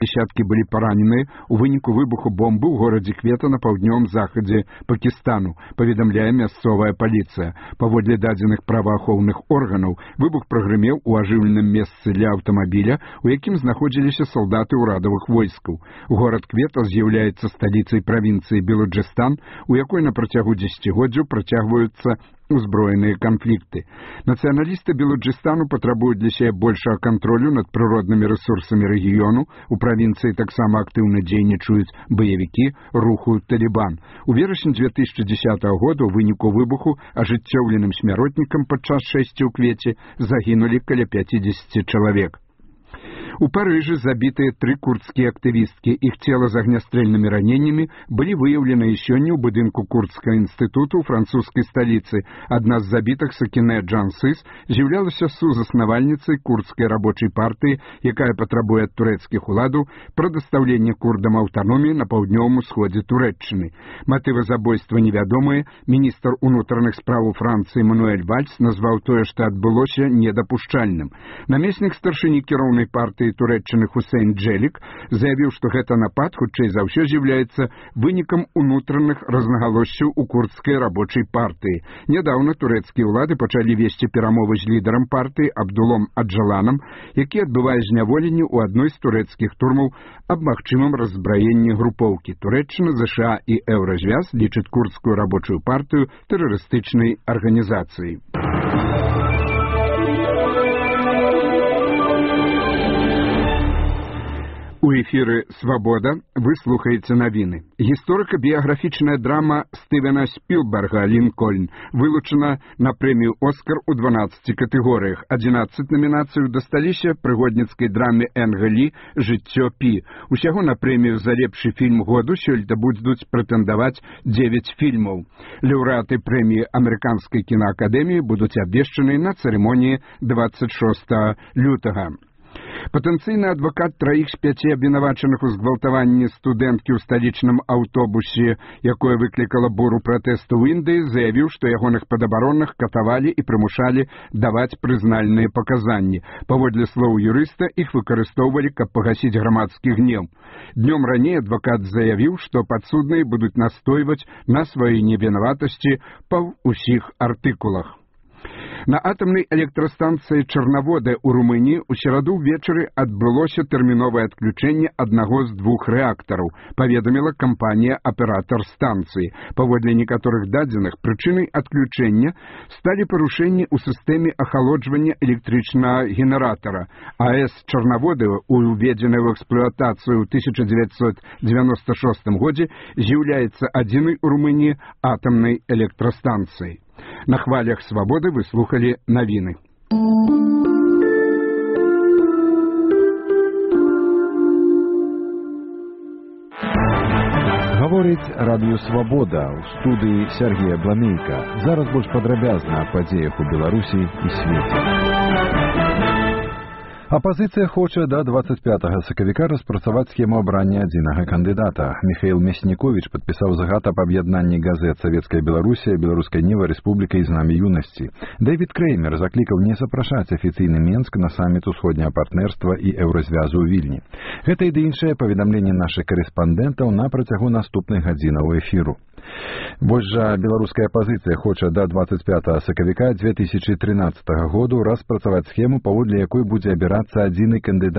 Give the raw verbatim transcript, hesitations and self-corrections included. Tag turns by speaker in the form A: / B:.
A: Дзесяткі былі параненыя ў выніку выбуху бомбы ў горадзе Квета на паўднёвым захадзе Пакістану, паведамляе мясцовая паліцыя. Паводле дадзеных праваахоўных органаў, выбух прагрымеў у ажыўленым месцы для аўтамабіля, у якім знаходзіліся салдаты ўрадавых войскаў. Горад Квета з'яўляецца сталіцай правінцыі Белуджыстан, у якой на працягу дзесяцігоддзяў працягваюцца узброеныя канфлікты. Нацыяналісты Белуджыстану патрабуюць для сябе большага кантролю над прыроднымі рэсурсамі рэгіёну. У правінцыі таксама актыўна дзейнічаюць баевікі руху Талібан. У верасні дзве тысячы дзесятага года ў выніку выбуху ажыццёўленым смяротнікам падчас шэсці ў Квеце загінулі каля пяцідзесяці чалавек. У Парыжы забітыя тры курдскія актывісткі. Іх цела з агнястрэльнымі раненнямі былі выяўленыя сёння ў будынку курдскага інстытуту ў французскай сталіцы. Адна з забітых, Сакінэ Джансыс, з'яўлялася сузаснавальніцай курдскай рабочай партыі, якая патрабуе ад турэцкіх уладаў прадастаўлення курдам аўтаноміі на паўднёвым усходзе Турэччыны. Матывы забойства невядомыя. Міністр унутраных спраў Францыі Мануэль Вальс назваў тое, што адбылося, недапушчальным. Намеснік старшыні кіроўнай партыі Турэччыны Хусейн Джэлік заявіў, што гэта напад хутчэй за ўсё з'яўляецца вынікам унутраных рознагалоссяў у курдскай рабочай партыі. Нядаўна турэцкія ўлады пачалі весці перамовы з лідарам партыі Абдулом Аджаланам, які адбывае зняволенне ў адной з турэцкіх турмаў аб магчымым раззбраенні групоўкі. Турэччына, ЗША і Еўразвяз лічаць курдскую рабочую партыю тэрарыстычнай арганізацыяй. У эфіры «Свабода» вы слухаеце навіны. Гісторыка-біяграфічная драма Стывена Спілберга «Лінкольн» вылучана на прэмію «Оскар» у дванаццаці катэгорыях. адзінаццаць намінацый дасталіся прыгодніцкай драме Энга Лі «Жыццё Пі». Усяго на прэмію за лепшы фільм году сёлета будуць прэтэндаваць дзевяць фільмаў. Лаўрэаты прэміі Амерыканскай кінаакадэміі будуць абвешчаны на цырымоніі дваццаць шостага лютага. Патэнцыйны адвакат траіх з пяці абвінавачаных у згвалтаванні студэнткі ў сталічным аўтобусе, якое выклікала буру пратэсту ў Індыі, заявіў, што ягоных падабаронных катавалі і прымушалі даваць прызнальныя паказанні. Паводле слоў юрыста, іх выкарыстоўвалі, каб пагасіць грамадскі гнеў. Днём раней адвакат заявіў, што падсудныя будуць настойваць на сваёй невінаватасці па ўсіх артыкулах. На атамнай электрастанцыі Чарнавода ў Румыніі ў сераду ўвечары адбылося тэрміновае адключэнне аднаго з двух рэактараў, паведаміла кампанія-аператар станцыі. Паводле некаторых дадзеных, прычынай адключэння сталі парушэнні ў сістэме ахалоджвання электрычнага генератара. АЭС Чарнавода, уведзеная ў эксплуатацыю ў тысяча дзевяцьсот дзевяноста шостым годзе, з'яўляецца адзінай у Румыніі атамнай электрастанцыяй. На хвалях «Свабоды» вы слухали навіны.
B: Гаворыць радыё «Свабода» ў студыі Сергея Бламейка. Зараз больш падрабязна аб падзеях у Беларусі і свеце. Апазіцыя хоча да дваццаць пятага сакавіка распрацаваць схему абрання адзінага кандыдата. Міхаіл Мяснікowicz падпісаў загад аб аб'яднанні газет «Савецкая Беларусія», «Беларуская Ніва», «Рэспубліка» і «Знамя юнасці». Дэвід Крэймер заклікаў не запрашаць афіцыйны Менск на саміт усходняга партнерства і Еўразвязу ў Вільні. Гэта і ды іншае паведамленне нашых карэспандэнтаў на працягу наступных гадзінаў эфіру. Больш жа беларуская апазіцыя хоча да дваццаць пятага сакавіка дзве тысячы трынаццатага году распрацаваць схему, паводле якой будзе абірацца адзіны кандыдат